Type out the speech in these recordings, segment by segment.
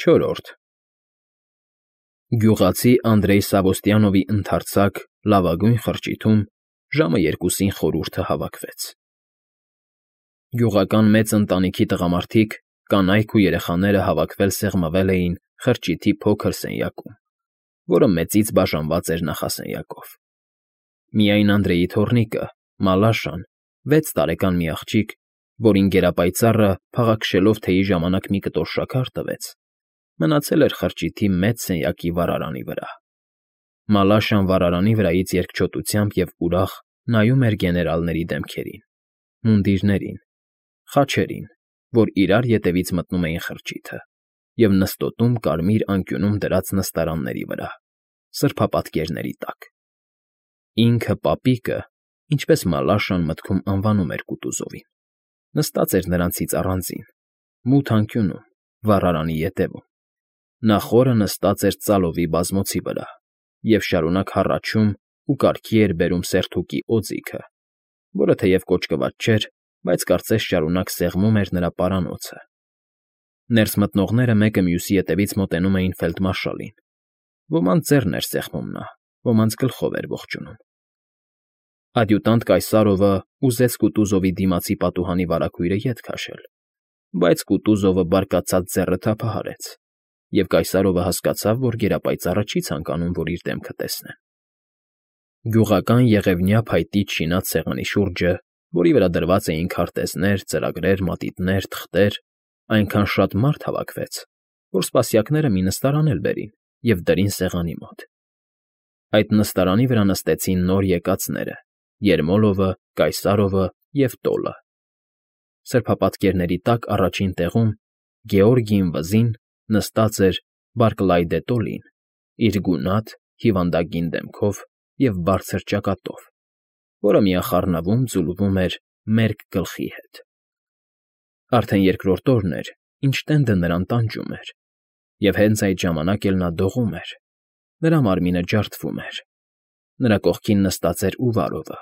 Չորրորդ Գյուղացի Անդրեյ Սավոստիանովի ընդարձակ լավագույն խրճիթում ժամը 2-ին խորհուրդը հավաքվեց։ Գյուղական մեծ ընտանիքի տղամարդիկ, կանայք ու երեխաները հավաքվել սեղմվել էին խրճիթի փոքր սենյակում, որը մեծից բաժանված էր նախասենյակով։ Միայն Անդրեյի թոռնիկը, Մալաշան, 6 տարեկան մի աղջիկ, որին գերապայծառը փաղաքշելով թեյի ժամանակ մի կտոր շաքար տվեց, մնացել էր խրճիթի մեծ սենյակի վառարանի վրա։ Մալաշան վառարանի վրայից երկչոտությամբ և ուրախ նայում էր գեներալների դեմքերին, մունդիրներին, խաչերին, որ իրար ետևից մտնում էին խրճիթը, և նստոտում կարմիր անկյունում դրած նստարանների վրա, սրբապատկերների տակ։ Ինքը պապիկը, ինչպես Մալաշան մտքում անվանում էր Կուտուզովին, նստած էր նրանցից առանձին, մութ անկյունում, վառարանի ետևում։ Նա խորը նստած էր ծալովի բազմոցի վրա և շարունակ հառաչում ու կարգի էր բերում սերթուկի օձիքը, որը թեև կոճկված չէր, բայց կարծես շարունակ սեղմում էր նրա պարանոցը։ Ներս մտնողները մեկը մյուսի ետևից մոտենում էին ֆելդմարշալին. ոմանց ձեռն էր սեղմում նա, ոմանց գլխով էր ողջունում։ Ադյուտանտ Կայսարովը ուզեց Կուտուզովի դիմացի պատուհանի վարագույրը ետ քաշել, բայց Կուտուզովը բարկացած ձեռը թափահարեց, և Կայսարովը հասկացավ, որ գերապայծառը չի ցանկանում, որ իր դեմքը տեսնեն։ Գյուղական եղևնյա փայտից շինած սեղանի շուրջը, որի վրա դրված էին քարտեզներ, ծրագրեր, մատիտներ, թղթեր, այնքան շատ մարդ հավաքվեց, որ սպասյակները մի նստարան էլ բերին և դրին սեղանի մոտ։ Այդ նստարանի վրա նստեցին նոր եկածները՝ Երմոլովը, Կայսարովը և Տոլը։ Սրբապատկերների տակ առաջին տեղում Գեորգիին վզին նստած էր Բարկլայդե Տոլին, իր գունատ, հիվանդագին դեմքով և բարձր ճակատով, որը միախառնվում ձուլվում էր մերկ գլխի հետ։ Արդեն երկրորդ օրն էր, ինչ տենդը նրան տանջում էր, և հենց այդ ժամանակ էլ նա դողում էր, նրա մարմինը ջարդվում էր։ Նրա կողքին նստած էր Ուվարովը,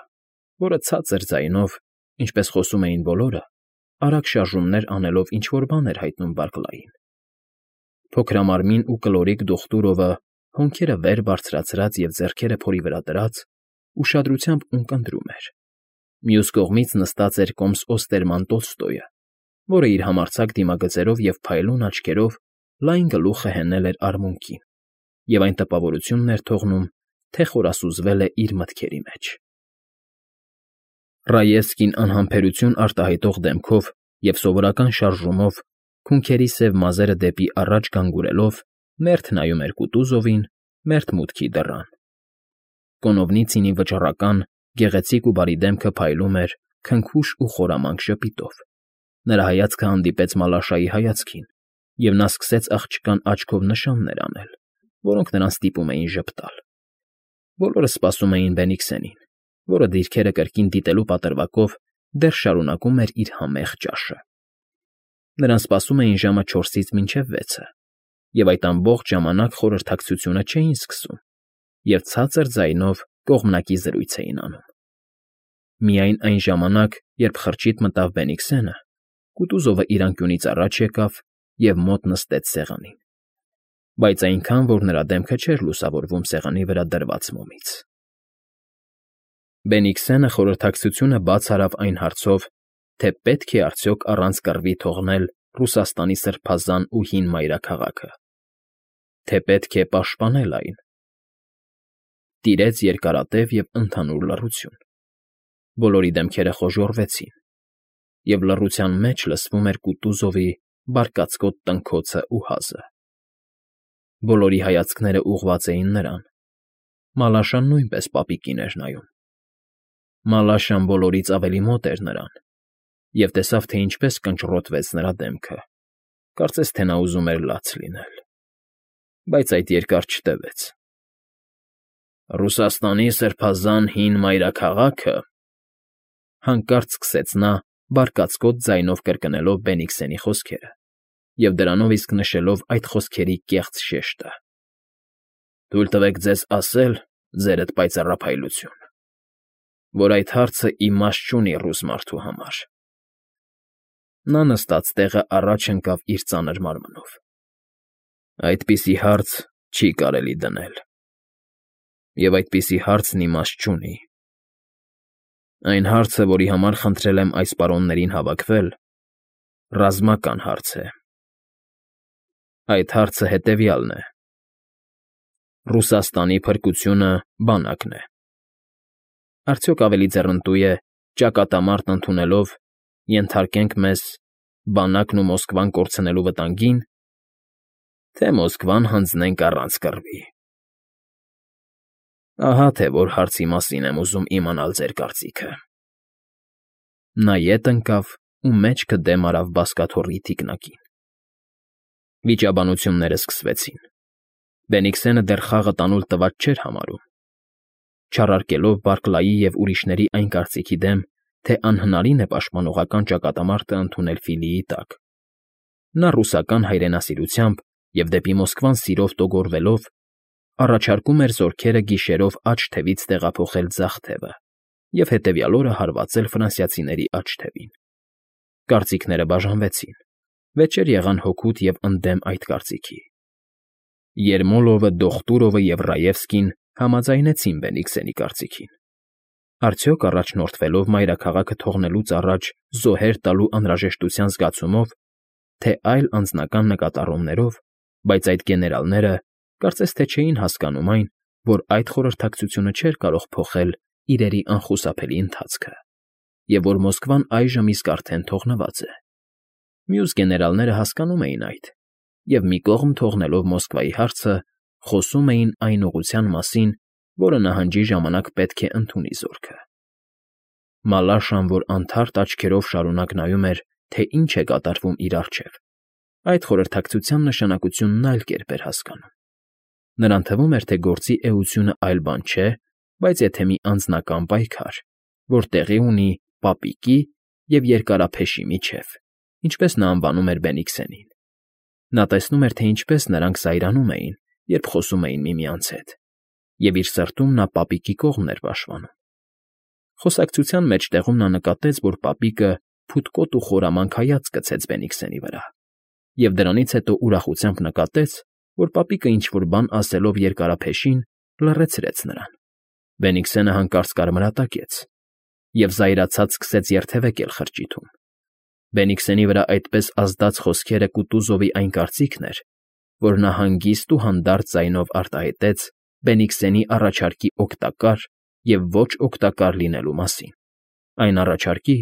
որը ցածր ձայնով, ինչպես խոսում էին բոլորը, արագ շարժումներ անելով ինչ֊որ բան էր հայտնում Բարկլային։ Փոքրամարմին ու կլորիկ Դուխտուրովը, հոնքերը վեր բարձրացրած և ձեռքերը փորի վրա դրած, ուշադրությամբ ունկնդրում էր։ Մյուս կողմից նստած էր կոմս Օստերման Տոլստոյը, որը իր համարձակ դիմագծերով և փայլուն աչքերով լայն գլուխը հենել էր արմունկին և այն տպավորությունն էր թողնում, թե խորասուզվել է իր մտքերի մեջ։ Ռաևսկին անհամբերություն արտահայտող դեմքով և սովորական շարժումով, քունքերի սև մազերը դեպի առաջ գանգուրելով, մերթ նայում էր Կուտուզովին, մերթ մուտքի դռան։ Կոնովնիցինի վճռական, գեղեցիկ ու բարի դեմքը փայլում էր քնքուշ ու խորամանկ ժպիտով։ Նրա հայացքը հանդիպեց Մալաշայի հայացքին, և նա սկսեց աղջկան աչքով նշաններ անել, որոնք նրան ստիպում էին ժպտալ։ Բոլորը սպասում էին Բենիքսենին, որը դիրքերը կրկին դիտելու պատրվակով դեռ շարունակում էր իր համեղ ճաշը։ Նրան սպասում էին ժամը 4-ից մինչև 6-ը, և այդ ամբողջ ժամանակ խորհրդակցությունը չէին սկսում և ցածր ձայնով կողմնակի զրույց էին անում։ Միայն այն ժամանակ, երբ խրճիթ մտավ Բենիքսենը, Կուտուզովը իր անկյունից առաջ եկավ և մոտ նստեց սեղանին, բայց այնքան, որ նրա դեմքը չէր լուսավորվում սեղանի վրա դրված մոմից։ Բենիքսենը խորհրդակցությունը բաց արավ այն հարցով, թե պետք է արդյոք առանց կռվի թողնել Ռուսաստանի սրբազան ու հին մայրաքաղաքը, թե պետք է պաշտպանել այն։ Տիրեց երկարատև և ընդհանուր լռություն։ Բոլորի դեմքերը խոժոռվեցին, և լռության մեջ լսվում էր Կուտուզովի բարկացկոտ տնքոցն ու հազը։ Բոլորի հայացքները ուղղված էին նրան։ Մալաշան նույնպես պապիկին էր նայում։ Մալաշան բոլորից ավելի մոտ էր նրան և տեսավ, թե ինչպես կնճռոտվեց նրա դեմքը, կարծես թե նա ուզում էր լաց լինել։ Բայց այդ երկար չտևեց։ «Ռուսաստանի սրբազան հին մայրաքաղաքը,֊ հանկարծ սկսեց նա բարկացկոտ ձայնով կրկնելով Բենիքսենի խոսքերը և դրանով իսկ նշելով այդ խոսքերի կեղծ շեշտը,֊ թույլ տվեք ձեզ ասել, ձերդ պայծառափայլություն, որ այդ հարցը իմաստ չունի ռուս մարդու համար»։ Նա նստած տեղը առաջ ընկավ իր ծանր մարմնով։ Այդպիսի հարց չի կարելի դնել, և այդպիսի հարցն իմաստ չունի։ Այն հարցը, որի համար խնդրել եմ այս պարոններին հավաքվել, ռազմական հարց է։ Այդ հարցը հետևյալն է. Ռուսաստանի փրկությունը բանակն է։ Արդյոք ավելի ձեռնտու է ճակատամարտ ընդունելով, ենթարկենք մեզ, բանակն ու Մոսկվան կորցնելու վտանգին, թե Մոսկվան հանձնենք առանց կռվի։ Ահա թե որ հարցի մասին եմ ուզում իմանալ ձեր կարծիքը։ Նա ետ ընկավ ու մեջքը դեմ արավ բազկաթոռի թիկնակին։ Վիճաբանությունները սկսվեցին։ Բենիքսենը դեռ խաղը տանուլ տված չէր համարում, չառարկելով Բարքլայի և ուրիշների այն կարծիքի դեմ, թե անհնարին է պաշտպանողական ճակատամարտը ընդունել Ֆիլիի տակ։ Նա ռուսական հայրենասիրությամբ և դեպի Մոսկվան սիրով տոգորվելով առաջարկում էր զորքերը գիշերով աջ թևից տեղափոխել ձախ թևը և հետևյալ օրը հարվածել ֆրանսիացիների աջ թևին։ Կարծիքները բաժանվեցին, վեճեր եղան հօգուտ և ընդդեմ այդ կարծիքի։ Երմոլովը, Դոխտուրովը և Ռաևսկին համաձայնեցին Բենիքսենի կարծիքին։ Արդյոք առաջնորդվելով մայրաքաղաքը թողնելուց առաջ զոհեր տալու անհրաժեշտության զգացումով, թե այլ անձնական նկատառումներով, բայց այդ գեներալները կարծես թե չէին հասկանում այն, որ այդ խորհրդակցությունը չէր կարող փոխել իրերի անխուսափելի ընթացքը, և որ Մոսկվան այժմ իսկ արդեն թողնված է։ Մյուս գեներալները հասկանում էին այդ, և մի կողմ թողնելով Մոսկվայի հարցը, խոսում էին այն ուղղության մասին, որը նահանջի ժամանակ պետք է ընդունի զորքը։ Մալաշան, որ անթարթ աչքերով շարունակ նայում էր, թե ինչ է կատարվում իր առջև, այդ խորհրդակցության նշանակությունն այլ կերպ էր հասկանում։ Նրան թվում էր, թե գործի էությունը այլ բան չէ, բայց եթե մի անձնական պայքար, որ տեղի ունի պապիկի և երկարափեշի միջև, ինչպես նա անվանում էր Բենիքսենին։ Նա տեսնում էր, թե ինչպես նրանք զայրանում էին, երբ խոսում էին միմյանց հետ, և իր սրտում նա պապիկի կողմն էր պաշտպանում։ Խոսակցության մեջտեղում նա նկատեց, որ պապիկը փութկոտ ու խորամանկ հայացք գցեց Բենիքսենի վրա, և դրանից հետո ուրախությամբ նկատեց, որ պապիկը ինչ֊որ բան ասելով երկարափեշին լռեցրեց նրան։ Բենիքսենը հանկարծ կարմրատակեց և զայրացած սկսեց երթևեկել խրճիթում։ Բենիքսենի վրա այդպես ազդած խոսքերը Կուտուզովի այն կարծիքն էր, որ նա հանգիստ ու հանդարտ ձայնով արտահայտեց Բենիքսենի առաջարկի օգտակար և ոչ օգտակար լինելու մասին, այն առաջարկի,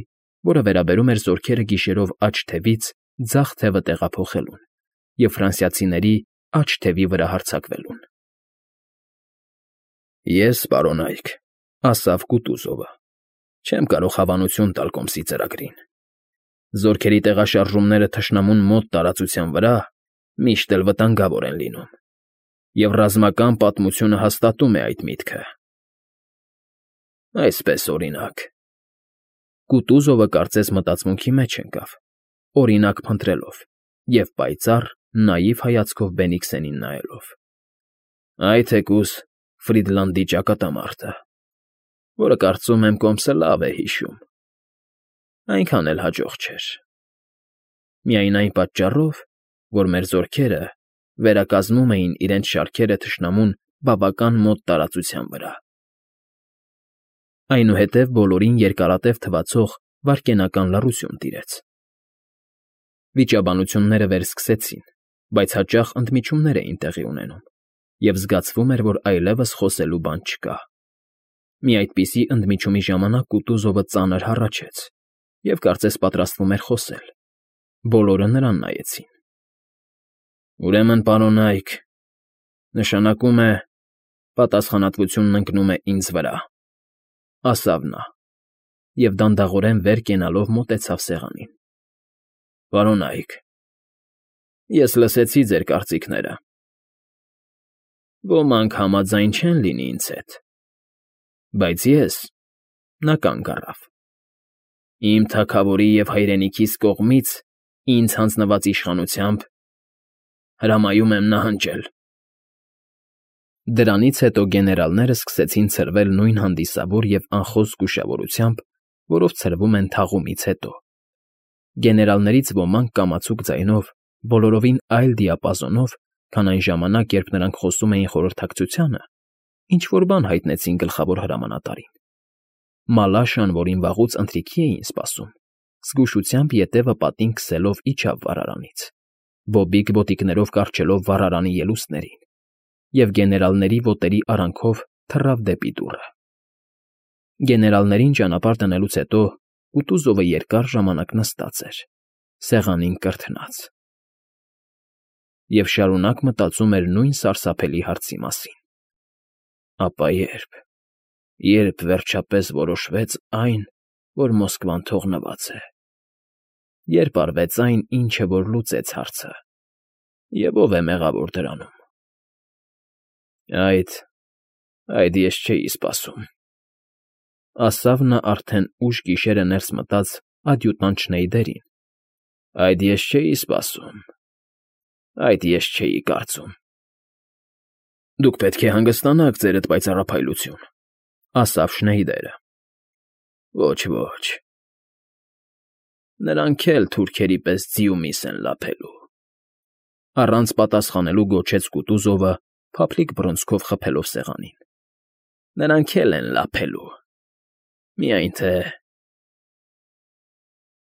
որը վերաբերում էր զորքերը գիշերով աջ թևից ձախ թևը տեղափոխելուն և ֆրանսիացիների աջ թևի վրա հարձակվելուն։ Ես, պարոնայք, ասավ Կուտուզովը, չեմ կարող հավանություն տալ կոմսի ծրագրին։ Զորքերի տեղաշարժումները թշնամուն մոտ տարածության վրա միշտ էլ վտանգավոր են լինում, և ռազմական պատմությունը հաստատում է այդ միտքը։ Այսպես, օրինակ, Կուտուզովը կարծես մտածմունքի մեջ ընկավ, օրինակ փնտրելով և պայծառ, նաիվ հայացքով Բենիքսենին նայելով։ Այ թեկուզ Ֆրիդլանդի ճակատամարտը, որը կարծում եմ կոմսը լավ է հիշում, այնքան էլ հաջող չէր։ Միայն այն պատճառով, որ մեր զորքերը վերակազմում էին իրենց շարքերը թշնամուն բավական մոտ տարածության վրա։ Այնուհետև բոլորին երկարատև թվացող վայրկենական լռություն տիրեց։ Վիճաբանությունները վերսկսեցին, բայց հաճախ ընդմիջումներ էին տեղի ունենում, և զգացվում էր, որ այլևս խոսելու բան չկա։ Մի այդպիսի ընդմիջումի ժամանակ Կուտուզովը ծանր հառաչեց և կարծես պատրաստվում էր խոսել։ Բոլորը նրան նայեցին։ Ուրեմն, պարոնայք, նշանակում է, պատասխանատվությունն ընկնում է ինձ վրա, ասավ նա, և դանդաղորեն վեր կենալով մոտեցավ սեղանին։ Պարոնայք, ես լսեցի ձեր կարծիքները։ Ոմանք համաձայն չեն լինի ինձ հետ, բայց ես, նա կանգ առավ, իմ թագավորի և հայրենիքիս կողմից ինձ հանձնված իշխանությամբ հրամայում եմ նահանջել։ Դրանից հետո գեներալները սկսեցին ցրվել նույն հանդիսավոր և անխոս զգուշավորությամբ, որով ցրվում են թաղումից հետո։ Գեներալներից ոմանք կամացուկ ձայնով, բոլորովին այլ դիապազոնով քան այն ժամանակ, երբ նրանք խոսում էին խորհրդակցությանը, ինչ-որ բան հայտնեցին գլխավոր հրամանատարին։ Մալաշան, որին վաղուց ընթրիքի էին սպասում, զգուշությամբ ետևը պատին քսելով իջավ վառարանից, բոբիկ ոտիկներով կառչելով վառարանի ելուստներին, և գեներալների ոտերի արանքով թռավ դեպի դուռը։ Գեներալներին ճանապարհ տնելուց հետո Կուտուզովը երկար ժամանակ նստած էր, սեղանին կրթնած, և շարունակ մտածում էր նույն սարսափելի հարցի մասին. ապա երբ վերջապես որոշվեց այն, որ Մոսկվան թողնված է, երբ արվեց այն, ինչը որ լուծեց հարցը, և ով է մեղավոր դրանում։ Այդ ես չէի սպասում, ասավ նա արդեն ուշ գիշերը ներս մտած ադյուտանտ Շնեյդերին։ Այդ ես չէի սպասում, այդ ես չէի կարծում։ Դուք պետք է հանգստանաք, ձերդ պայծառափայլություն, ասավ Շնեյդերը։ Ոչ, նրանք էլ թուրքերի պես ձիումիս են լափելու, առանց պատասխանելու գոչեց Կուտուզովը, փափլիկ բռունցքով խփելով սեղանին։ Նրանք էլ են լափելու, միայն թե